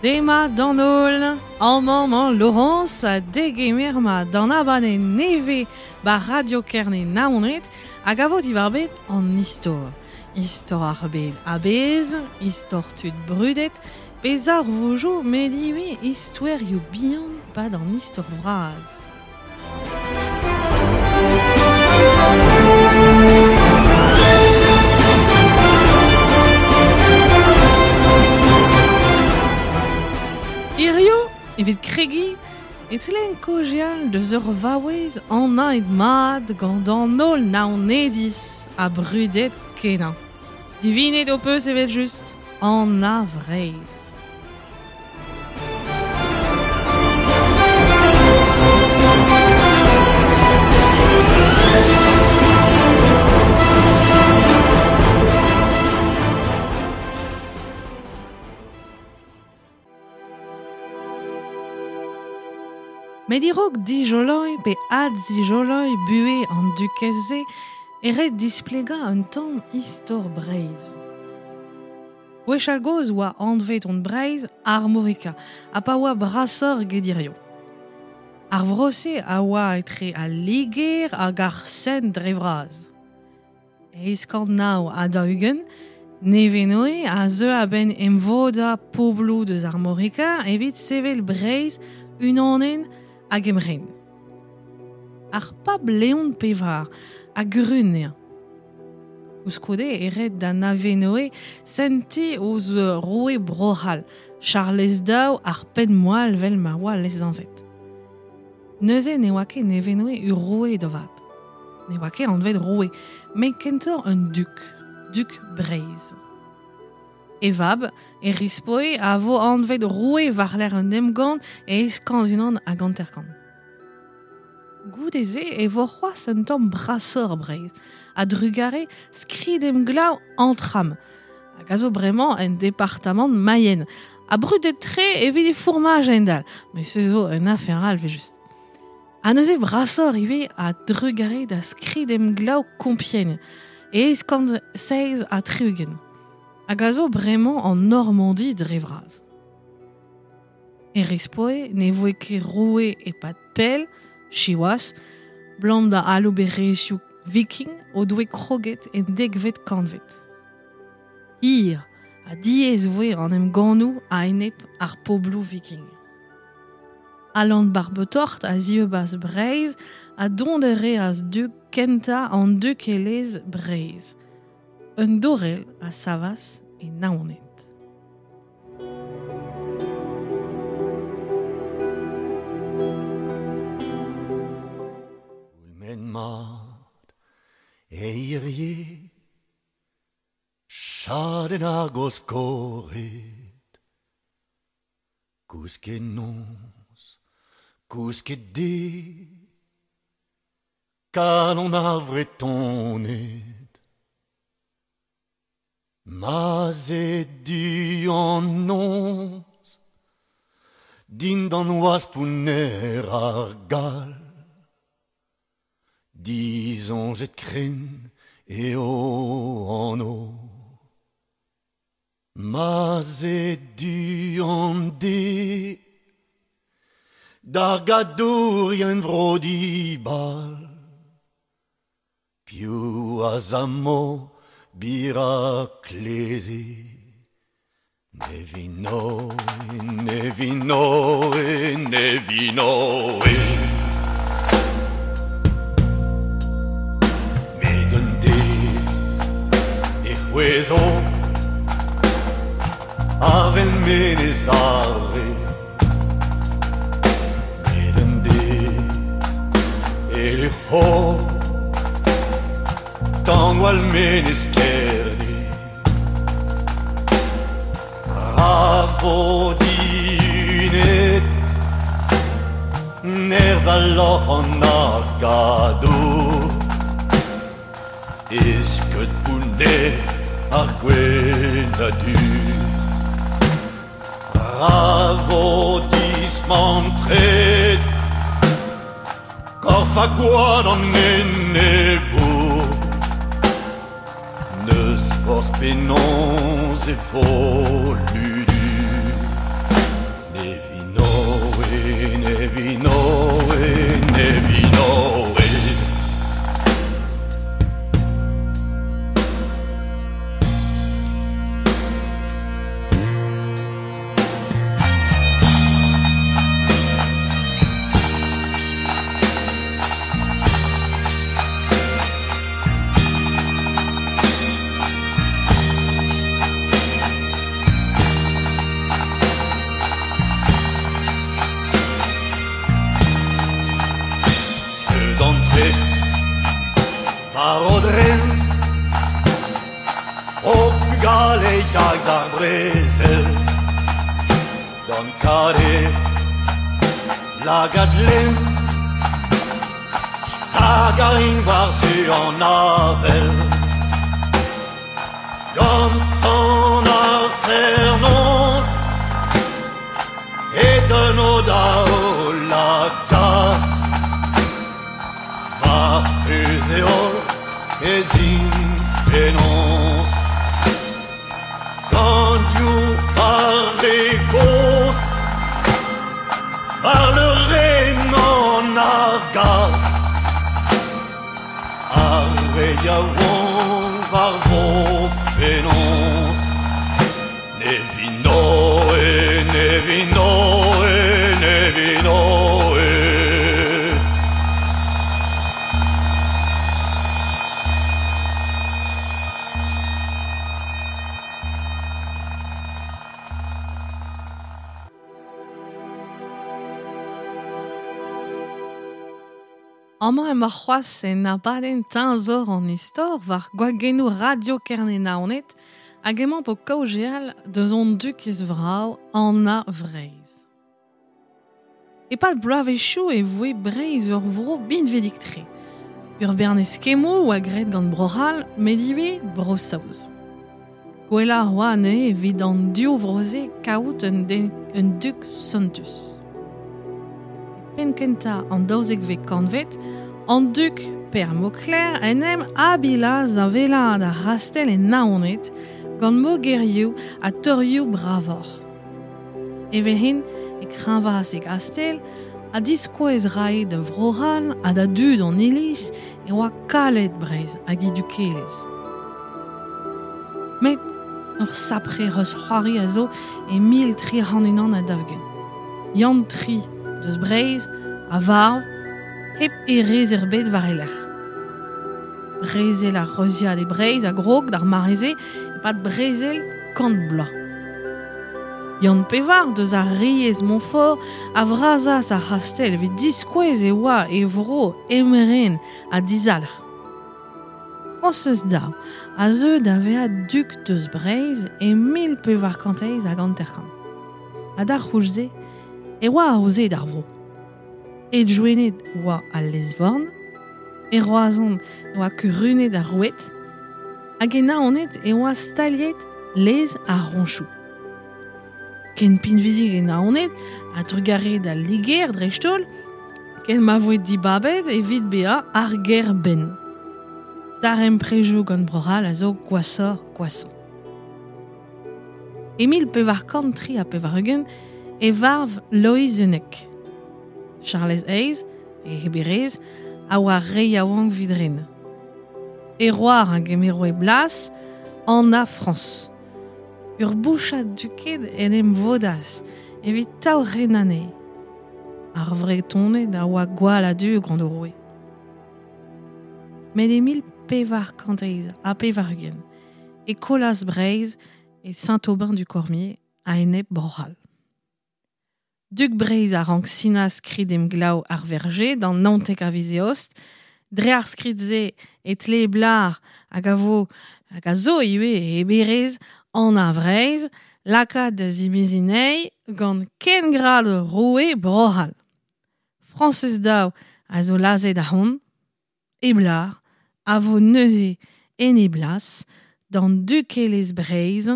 Demat d'an holl, amañ 'mañ Laurence ha degemer ma d'an abadenn nevez 'ba Radio Kerne Naoned hag a vo diwar-benn an istor. Istor ar bed a-bezh, istor tud brudet, pe zarvoudoù met ivez istoerioù bihan 'pad an istor vras. Hirio, evit kregiñ, e tlean kaozeal deus ur vaouez anaet mat gant an holl Naonediz ha brudet kenañ. Divinet ho peus evel-just, Anna Vreizh. Met a-raok dijoloiñ pe adzijoloiñ buhez an dukez-se e ret displegañ un tamm istor Breizh. Gwechall-gozh oa anvet hon Breizh Armorica ha pa oa brasoc'h eget hiziv. Ar vro-se a oa etre al Liger hag ar Seine dre vras. 849, Nevenoe a zeu a-benn emvodañ pobloù deus Armorica evit sevel Breizh unanenn hag emren. Ar pab Leon Pevar a grun anezhañ. Koulskoude e red da Nevenoe sentiñ ouzh roue Bro-C'hall, Charlez Daou ar penn-moal 'vel ma oa lesanvet. Neuze ne oa ket Nevenoe ur roue da vat. Ne oa ket anvet roue, met kentoc'h un duk, duk Breizh. E vab, Erispoe, a vo anvet roue war-lerc'h un emgann e 851. Goude-se e vo c'hoazh un tamm brasoc'h Breizh, a-drugarez skrid-emglev Antram, hag a zo bremañ en departamant Mayenne, ha brudet-tre evit e fourmaj a-hend-all, met se zo un afer all evel-just. Ha neuze brasoc'h ivez a-drugarez da skrid-emglev Compiègne e 867, hag a zo bremañ an Normandi dre vras. Erispoe ne voe ket roue e-pad pell, siwazh, 'blam da alouberezhioù viking o doe kroget en dekvet kantved. Hir ha diaes voe an emgannoù a-enep ar pobloù viking. Alan Barbetort a zieubas Breizh ha dont a reas dug kentañ an dukelezh Breizh. Un dorell a savas e Naoned. Goulmen mat e hirie Chadenn ar goskored Kousket noz, kousket de Kalon ar Vretoned Ma'z eo du an noz Dindan oaz pounner ar Gall Disoñjet krenn eo anv Ma'z eo du an de D'ar gadourien vro dibal Piv a zammo bir ha kleze Nevenoe, Nevenoe, Nevenoe Met un deiz e c'hwezho Avel Menez Are Met un deiz e luc'ho Tangwall Menez Kerne Ra vo dihunet Nerzh al lorc'h an argadour E skeud pounner ar gwenn ha du Ra vo dismantret Korf ha gwad an enebour N'eus forzh penaos e vo ludu. dag d'ar brezel Gant kare lagad lem Stag a rin war-zu an avel Gant an ar zernoz E deuno da o lagad Va eus e holl ez int penaos Gant you ar re gozh War le ren an argad Ar re yaouank war vo penaos Nevinoe, Nevinoe, Nevinoe. Amañ emañ c'hoazh en abadenn Teñzor an Istor war gwagennoù Radio Kerne-Naoned hag emañ po kaozeal deus hon dukez vrav Anna Vreizh. E-pad bloavezhioù e voe Breizh ur vro binvidik-tre. Ur bern eskemmoù oa graet gant Bro-C'hall met ivez Bro-Saoz. Gwellañ a oa anezhe evit an div vro-se kaout un dug sentus. Penn kentañ an daouzekvet kantved, an dug Per Mauclerc en em abilaz da wellaat ar c'hastell e Naoned gant mogerioù ha torioù bravoc'h. Evel-hen e kreñvaas e gastell ha diskouez rae da Vro-C'hall ha da dud an iliz e oa kalet Breizh hag he dukelezh. Met ur sapre reuz-c'hoari a zo e 1341. Yann Tri deus Breizh a varv hep erez ebet war e lerc'h. Brezel ar reuziad e Breizh a grog d'ar mare-se e-pad brezel kant bloaz. Yann Pevar deus ar riez Montfort a vrazas ar c'hastell evit diskouez e oa e vro emren ha dizalc'h. Frañsez Daou a zeu da vezañ dug deus Breizh e 1458. Ha d'ar c'houlz-se e oa aozet ar vro. E Gwened oa al lez-vorn, e Roazhon oa kurunet ar roued, hag e Naoned e oa staliet lez ar roñchoù. Ken pinvidik e Naoned ha trugarez d'al Liger dreist-holl, ken ma voe dibabet evit bezañ ar gêr-benn. Darempredoù gant Bro-C'hall a zo gwashoc'h-gwashañ. E 1483 e varv Loeiz Unnek. Charlez Eizh, e heberezh, a oa re yaouank evit ren. E c'hoar a gemero e blas, Anna Frañs. Ur bouchad duked en em vodas evit taourren anezhi. Ar Vretoned a oa gwall a-du gant o roue. Met e 1488 e kollas Breizh e Saint-Aubin-du-Cormier a-enep Bro-C'hall. Dug Breizh a rank sinañ skrid-emglev ar Verger d'an naontek a viz Eost. Dre ar skrid-se e tle Blar hag a vo hag a zo ivez e heberezh Anna Vreizh lakaat da zimeziñ anezhi gant kengrad roue Bro-C'hall. Frañsez Daou a zo lazhet ahont, e Blar a vo neuze en e blas d'an dukelezh Breizh,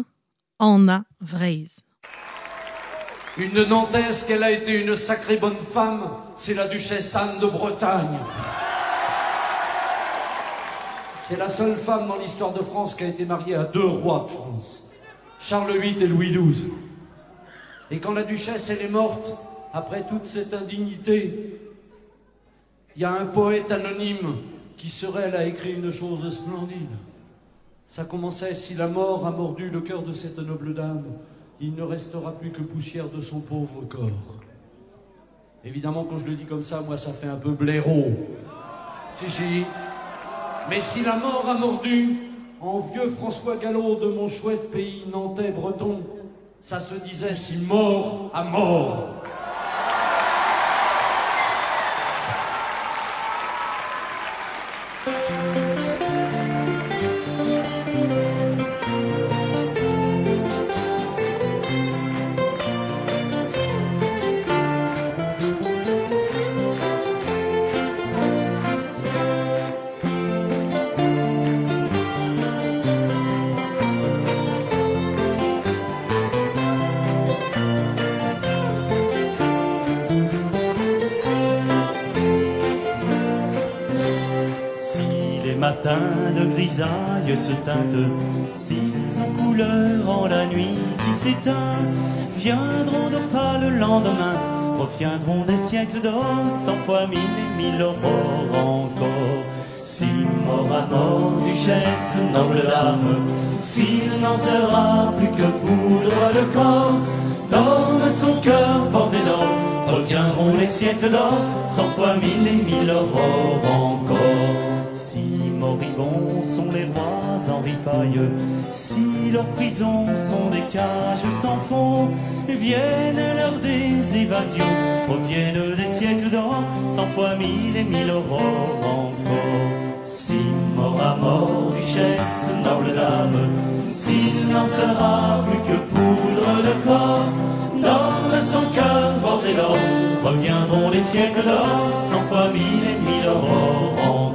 Anna Vreizh. Une Nantaise qu'elle a été une sacrée bonne femme, c'est la duchesse Anne de Bretagne. C'est la seule femme dans l'histoire de France qui a été mariée à deux rois de France, Charles VIII et Louis XII. Et quand la duchesse, elle est morte, après toute cette indignité, il y a un poète anonyme qui serait, elle a écrit une chose splendide. Ça commençait, si la mort a mordu le cœur de cette noble dame, il ne restera plus que poussière de son pauvre corps. Évidemment, quand je le dis comme ça, moi, ça fait un peu blaireau. Si, si. Mais si la mort a mordu en vieux François Gallo de mon chouette pays nantais breton, ça se disait si mort à mort. matin de grisaille se teinte, s'ils ont couleur en la nuit qui s'éteint, viendront d'opale le lendemain, reviendront des siècles d'or, 100 fois 1000 et 1000 aurores encore. Si mort à mort, duchesse, noble dame, s'il n'en sera plus que poudre de corps, dorme son cœur bordé d'or, reviendront les siècles d'or, 100 fois 1000 et 1000 aurores encore. Si moribonds sont les rois en ripaille, si leurs prisons sont des cages sans fond, viennent l'heure des évasions, reviennent des siècles d'or, 100 fois 1000 et 1000 aurores encore. Si mort à mort, duchesse, noble dame, s'il n'en sera plus que poudre de corps, dorme son cœur bordé d'or, reviendront les siècles d'or, 100 fois 1000 et 1000 aurores encore.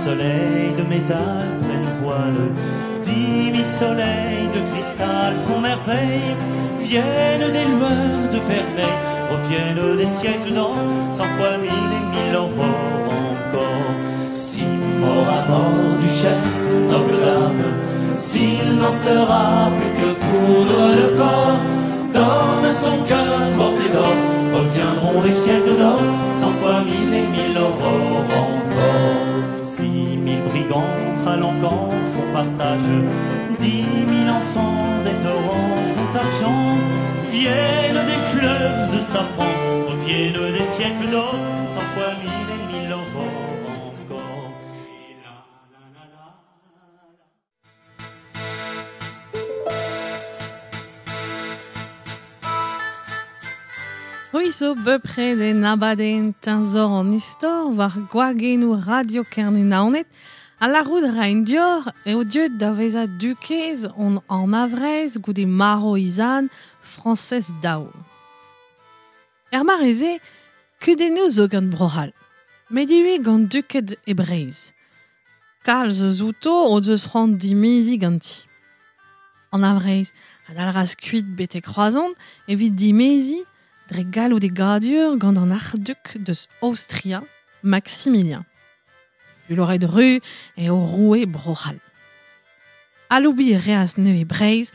Soleils de métal prennent voile, 10 000 soleils de cristal font merveille, viennent des lueurs de vermeil, reviennent des siècles d'or, 100 fois 1000 et 1000 aurores encore. Si mort à mort, duchesse, noble dame, s'il n'en sera plus que poudre de corps, dorme son cœur bordé d'or, reviendront les siècles d'or, 100 fois 1000 et 1000 aurores encore. 6 000 brigands à l'encan font partage, 10 000 enfants des torrents font argent, viennent des fleurs de safran, reviennent des siècles d'or, 100 fois 1000 et 1000 aurores encore. Et la, la, la, la, la. C'hwi zo bepred en abadenn teñzor an istor war gwagennoù Radio Kerne Naoned a lârout ra en dior eo deuet da vezañ dukez on an avrez goude maro izan Frañsez Daou. Er mare-se, kudennoù zo gant Bro-C'hall, met ivez gant duked e Breizh. Kalz eus outo o deus c'hoant dimeziñ ganti. An avrez a dalc'has kuit betek Kroazhont evit dimeziñ dre galloud e gadur gant an arc'hduk deus Aostria, Maximilien. Fuloret ru eo roue Bro-C'hall. Aloubiñ reas neuze Breizh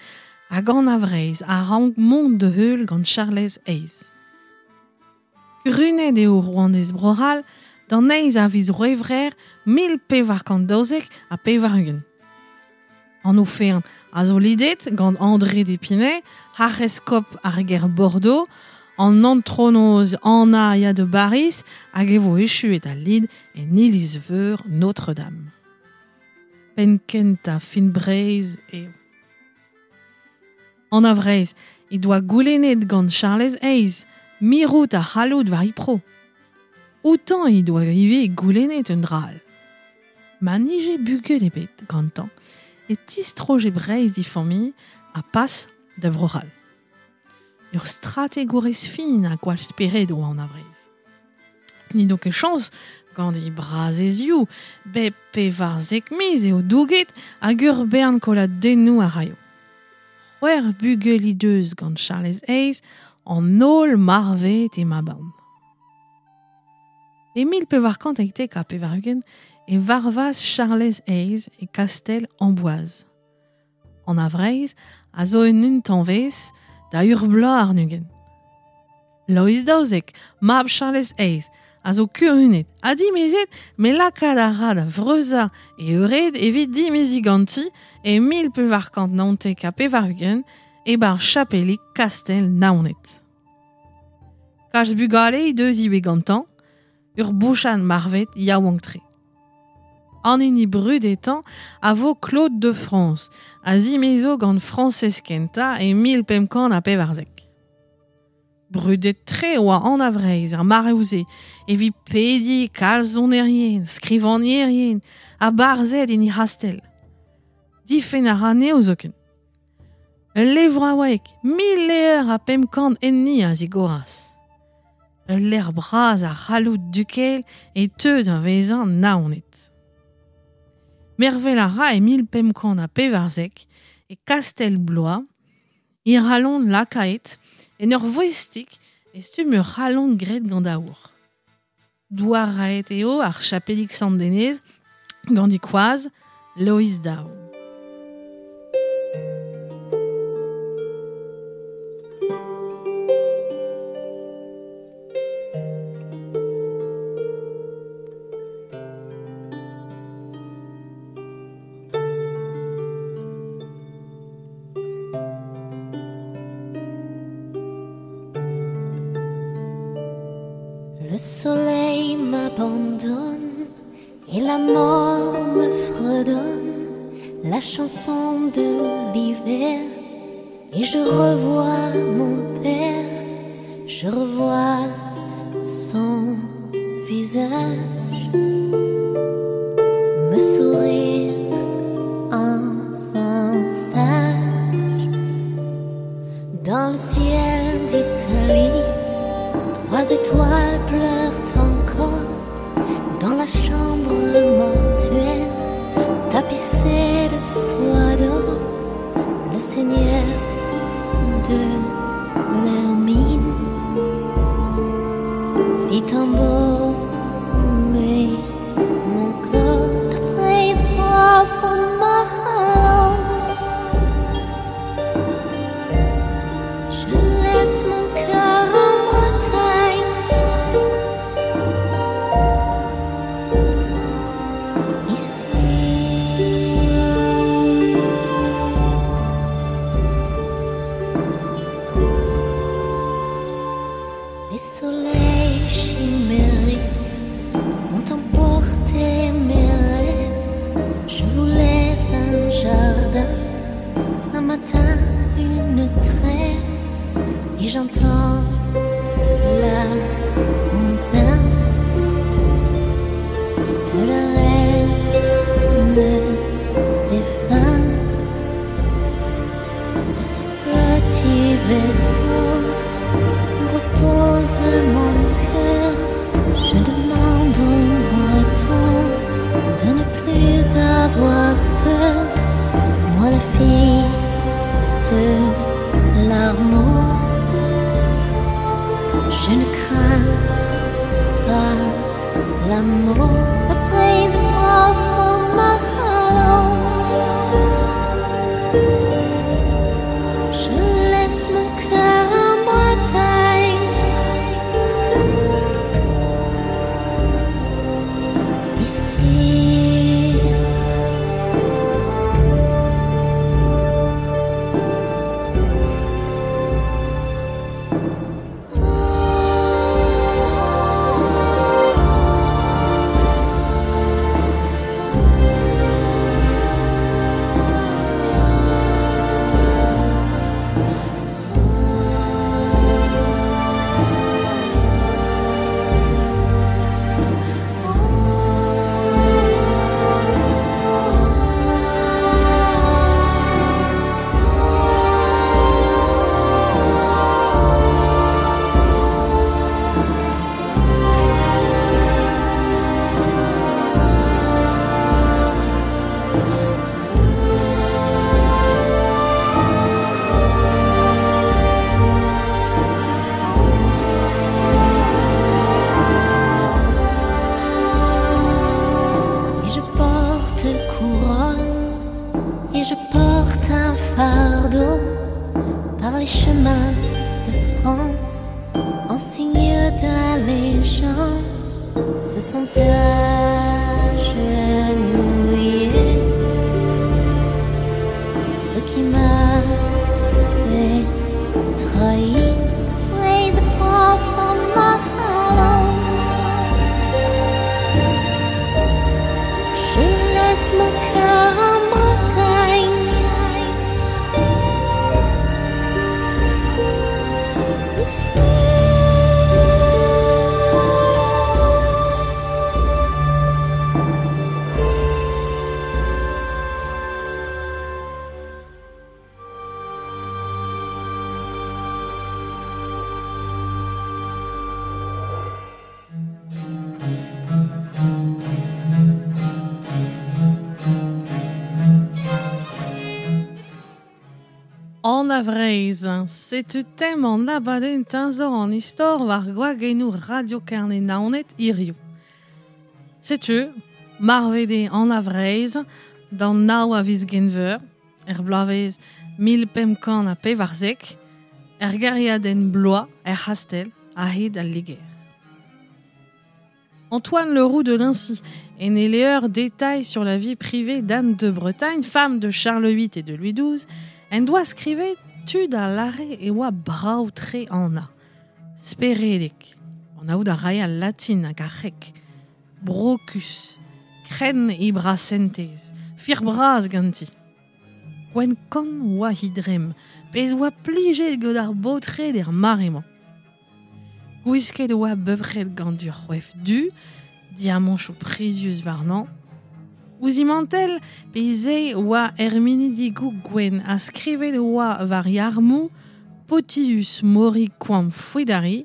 hag an a-Vreizh a rank mont da heul gant Charlez Eizh. Kurunet eo rouanez Bro-C'hall d'an eizh a viz C'hwevrer 1492. An oferenn a zo lidet gant André d'Épinay, arc'heskob ar gêr Bordeaux, an antronoz Anna ya de Baris hag e vo echuet al lid en iliz-veur Notre-Dame. Penn kentañ fin Breizh eo. An a-Vreizh he doa goulennet gant Charlez Eizh mirout ar c'halloud war he pro. Outañ he doa ivez goulennet un dra all. Ma nije bugel ebet gantañ e tistroje Breizh d'e familh ha pas da Vro-C'hall. Ur strategourez fin a gwall spered oa an a-Vreizh. N'he do ket chañs gant he brazezioù, bep pevarzek miz eo douget hag ur bern koladennoù a raio. C'hwec'h bugel he deus gant Charlez Eizh an holl marvet e ma-bann. E 1498 e varvas Charlez Eizh e kastell Amboise. An a-Vreizh a zo un intañvez da ur bloaz àr-ugent. Loeiz Daouzek, mab Charlez Eizh, a zo kurunet ha dimezet met lakaat a ra da vreuzañ e eured evit dimeziñ ganti e 1499 e-barzh chapelig kastell Naoned. Kalz bugale he deus ivez gantañ, ur bouchad marvet yaouank-tre. An hini brudetañ a vo Claude de France, a zimezo gant Frañsez kentañ e 1514. Brudet-tre oa Anna Vreizh ar mareoù-se evit pediñ kalz sonerien, skrivagnerien ha barzhed en he c'hastell. Difenn a ra anezho zoken. Ul levraoueg 1500 enni a zigoras. Ul lec'h bras a c'halloud dukel e teu da vezañ Naoned. Mervel a ra e 1514 e Kastell Blois, he c'halon lakaet en ur voestig e stumm ur c'halon graet gant aour. Douaraet eo ar chapelig Sant-Denez gant he koaz Loeiz Daou. Le soleil m'abandonne et la mort me fredonne la chanson de l'hiver et je revois mon père, je revois son visage me sourire enfant sage. Dans le ciel d'Italie, trois étoiles pleurent encore dans la chambre mortuaire tapissée de soie d'or. Le seigneur de l'Hermine fit embaumer mon corps. La fraise profonde ma Je laisse mon cœur en Bretagne. Ici. Les soleils chimériques ont emporté mes rêves. Je voulais un jardin, un matin, une trêve. Et j'entends la complainte de la reine défunte de ce petit vaisseau où repose mon cœur. Je demande aux Bretons de ne plus avoir peur. Moi, la fille de l'Armor, je ne crains pas la mort. La fraise profonde ma Je laisse mon cœur en Bretagne. Ici. Et je porte couronne, et je porte un fardeau par les chemins de France, en signe d'allégeance, se sont agenouillés ceux qui m'avaient trahi. Fraise profonde ma Je laisse mon cœur en Bretagne. Ici. Anna Vreizh, setu tem an abadenn teñzor an istor war gwagennoù Radio Kerne Naoned hiziv. Setu, marvet eo Anna Vreizh d'an nav a viz Genveur, er bloavezh 1514, er gêriadenn Blois, er c'hastell, a-hed al Liger. Antoine Le Roux de Lincy en e levr Détails sur la vie privée d'Anne de Bretagne, femme de Charles VIII et de Louis XII, en doa skrivet tud a lâre e oa brav-tre Anna. Speredek, anaout a rae al latin hag ar c'hrek. Brokus, krenn he brasentez, fir bras ganti. Gwenn-kann oa he dremm, pezh oa plijet gant ar baotred er mare-mañ. Gwisket e oa bepred gant ur c'hoef du, diamanchoù prizius warnañ. Ouzh he mantell pe he sae oa erminidigoù gwenn ha skrivet e oa war he armoù Potius mori quam foedari,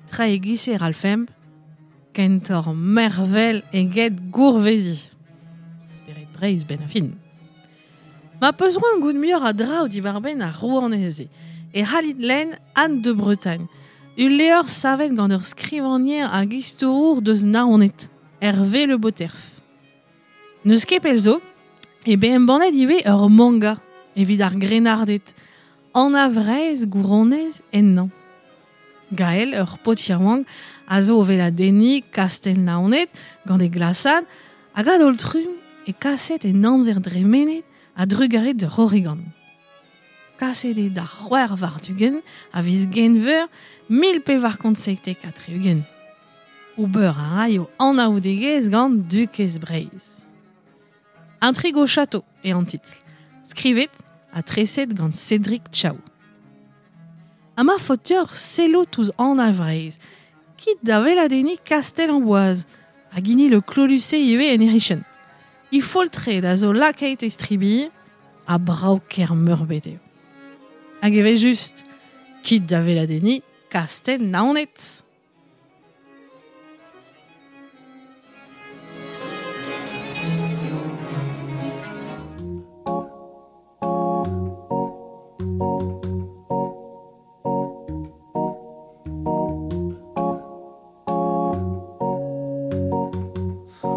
tra e-giz e ralfemp, kentoc'h mervel eget gourveziñ. Spered Breizh 'benn ar fin. Ma 'peus c'hoant goût muioc'h a draoù diwar-benn ar rouanez-se e c'hallit lenn Anne de Bretagne, ul levr savet gant ur skrivagner hag istorour deus Naoned, Hervé Le Boterf. N'eus ket pell zo eo bet embannet ivez ur manga evit ar grennarded, Anna Vreizh gouronez ennañ. Gael, ur paotr yaouank, a zo o weladenniñ kastell Naoned gant e glasad hag a-daol-trumm e kaset en amzer dremenet a-drugarez d'ur c'horrigan. Kaset eo d'ar 26 a viz Genver 1477. Ober a raio anaoudegezh gant Dukez Breizh. Intrigue au château eo an titl, skrivet ha treset gant Cédric Chaou. Ha ma faot deoc'h sellout ouzh Anna Vreizh, kit da weladenniñ Kastell Amboaz hag hini Le Clos-Lucé ivez en he c'hichen. He foltred a zo lakaet e-stribilh ha brav-kaer meurbet eo. Hag evel-just, kit da weladenniñ Kastell Naoned!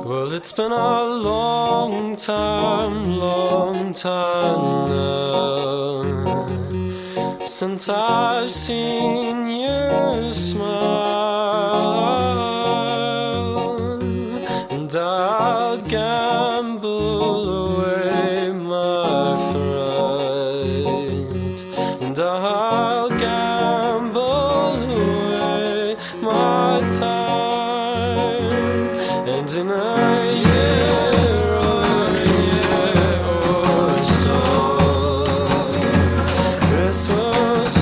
Well, it's been a long time, long time now Since I've seen you smile And I'll gamble away my fright And I'll gamble away my time And in a year or a year or so Christmas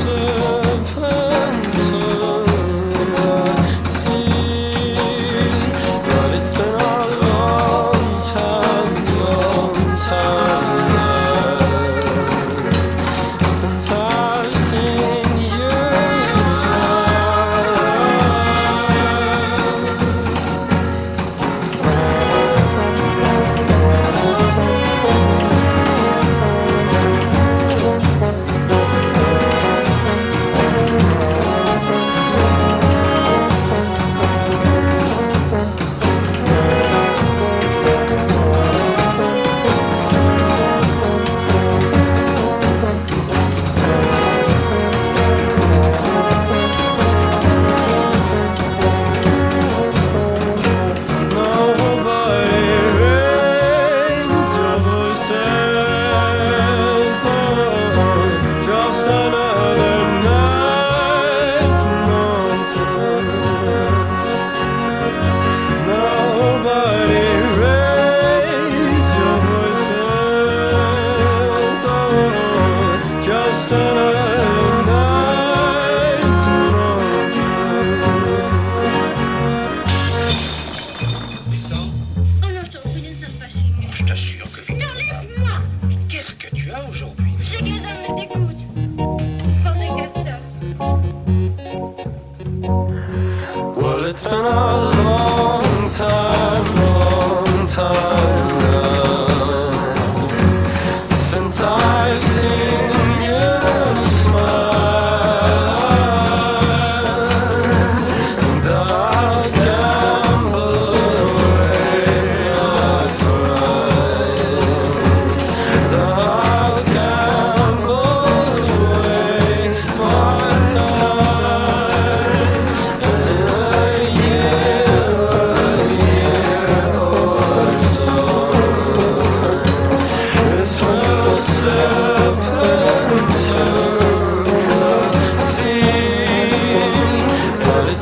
see But it's been a long time, long time now Since I've seen you smile. Nobody rings your voices. Oh, just another night Nobody raise your voices. Oh, just another night. Oh non, je t'en prie, nous ne sommes pas chez nous. Je t'assure que je Non, laisse-moi. Qu'est-ce que tu as aujourd'hui? Je sais que les hommes me dégoûtent. Pensez qu'à ça. Well, it's been a long time, long time now Since I've seen you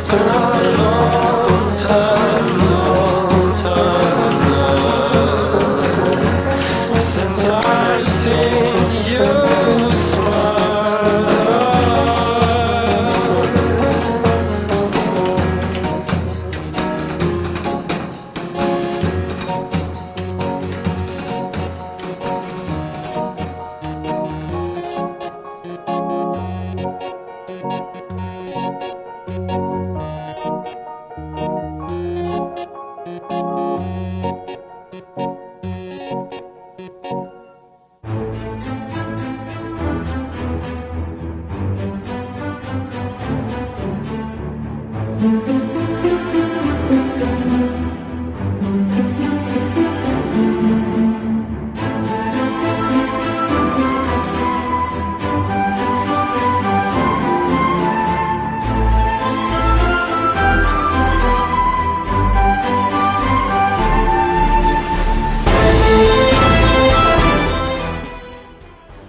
It's been a long time, long time now since I've seen you smile.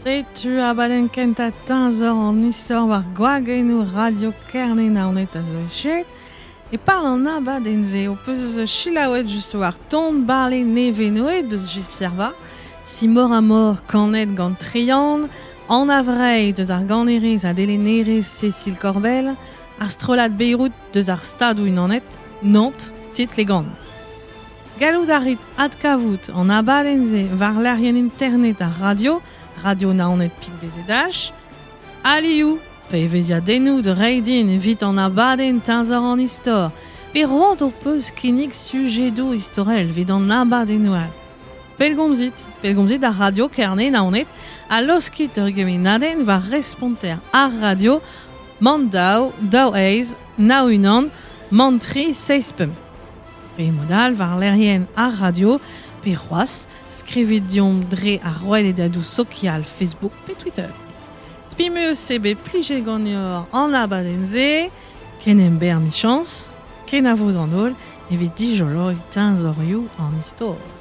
Setu abadenn kentañ teñzor an istor war gwagennoù Radio Kerne Naoned a zo echuet. E pad an abadenn-se ho peus selaouet just war ton bale Nevenoe deus Gilles Servat, Simor a mor kanet gant Trian, Anna Vrei deus ar ganerez ha delennerez Cécile Corbel, ar strollad Beyrouth deus ar Stadoù Unanet, Nantes, titl e gan. Gallout a rit adkavout an abadenn-se war lec'hienn internet ar radio, radio Naoned pik BZH, alioù, pe evezhiadennoù da reiñ din evit an abadenn teñzor an istor, pe roet ho peus kinnig sujedoù istorel evit an abadennoù all. Pellgomzit, pellgomzit ar radio Kerne Naoned ha laoskit ur gemennadenn war responter ar radio man daou, daou eizh, nav unan, man tri, seizh pemp. Pe mod all war lec'hienn ar radio, pe c'hoazh, skrivit deomp dre ar rouedadoù sokial Facebook pe Twitter. Spi 'm eus eo bet plijet ganeoc'h an abadenn-se, ken emberr 'michañs, kenavo d'an holl evit dijoloiñ teñzorioù an istor.